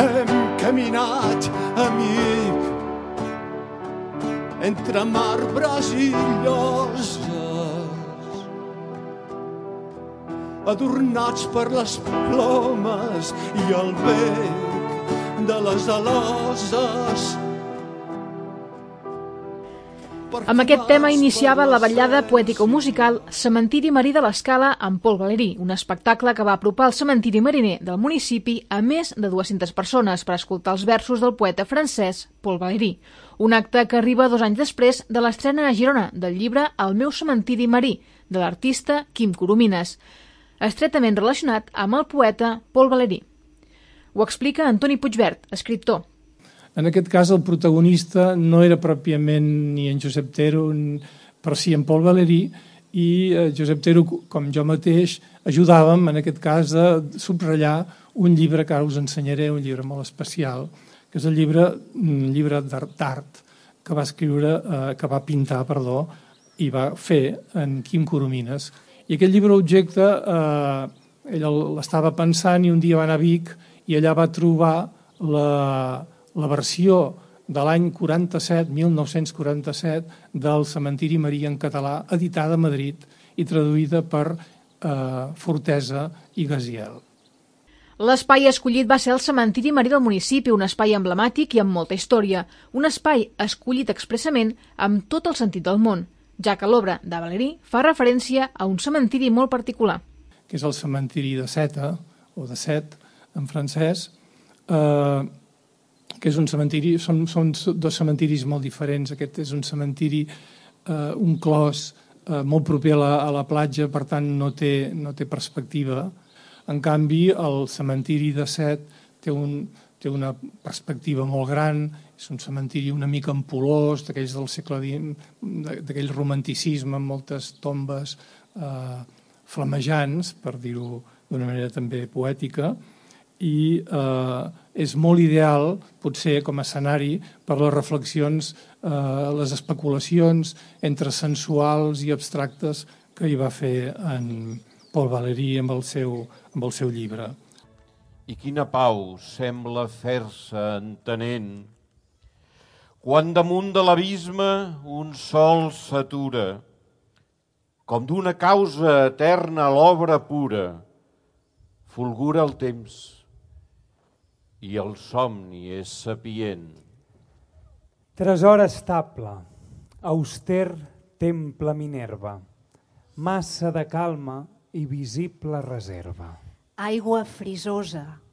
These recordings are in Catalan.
hem caminat, amic, entre marbres i lloses, adornats per les plomes i el bec de les aloses. Amb aquest tema iniciava la vetllada poètico-musical Cementiri Marí de l'Escala amb Pol Valerí, un espectacle que va apropar el cementiri mariner del municipi a més de 200 persones per escoltar els versos del poeta francès Pol Valerí. Un acte que arriba 2 anys després de l'estrena a Girona del llibre El meu cementiri marí, de l'artista Quim Coromines, estretament relacionat amb el poeta Pol Valerí. Ho explica Antoni Puigvert, escriptor. En aquest cas, el protagonista no era pròpiament ni en Josep Tero, però sí en Pol Valerí, i Josep Tero, com jo mateix, ajudàvem, en aquest cas, a subratllar un llibre que ara us ensenyaré, un llibre molt especial, que és un llibre d'art que va pintar, i va fer en Quim Coromines. I aquest llibre objecte, ell l'estava pensant i un dia va anar a Vic i allà va trobar la versió de l'any 1947, del Cementiri Marí en català, editada a Madrid i traduïda per Fortesa i Gaziel. L'espai escollit va ser el Cementiri Marí del municipi, un espai emblemàtic i amb molta història, un espai escollit expressament amb tot el sentit del món, ja que l'obra de Valerí fa referència a un cementiri molt particular. Que és el cementiri de Seta, o de Set, en francès, que és un cementiri, són 2 cementiris molt diferents. Aquest és un cementiri, un clos molt proper a la platja, per tant no té perspectiva. En canvi, el cementiri de Set té una perspectiva molt gran, és un cementiri una mica ampulós, d'aquells del segle XX, d'aquell romanticisme amb moltes tombes flamejants, per dir-ho d'una manera també poètica, i és molt ideal, potser, com a escenari per les reflexions, les especulacions entre sensuals i abstractes que hi va fer en Pol Valerí amb el seu llibre. I quina pau sembla fer-se entenent quan damunt de l'abisme un sol s'atura, com d'una causa eterna l'obra pura, fulgura el temps i el somni és sapient. Tresor estable, auster temple Minerva, massa de calma i visible reserva. Aigua frisosa,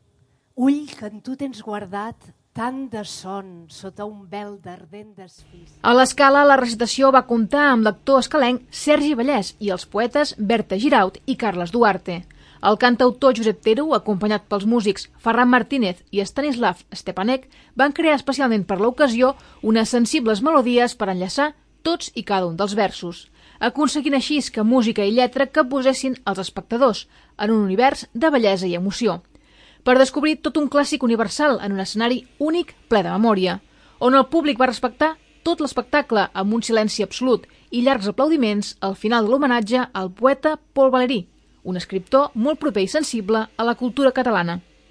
ull que en tu tens guardat tant de son sota un vel d'ardent desfís. A l'Escala, la recitació va comptar amb l'actor escalenc Sergi Vallès i els poetes Berta Giraut i Carles Duarte. El cantautor Josep Tero, acompanyat pels músics Ferran Martínez i Stanislav Stepanek, van crear especialment per l'ocasió unes sensibles melodies per enllaçar tots i cada un dels versos, aconseguint així que música i lletra capbussessin els espectadors en un univers de bellesa i emoció, per descobrir tot un clàssic universal en un escenari únic ple de memòria, on el públic va respectar tot l'espectacle amb un silenci absolut i llargs aplaudiments al final de l'homenatge al poeta Pol Valerí, un escriptor molt proper i sensible a la cultura catalana.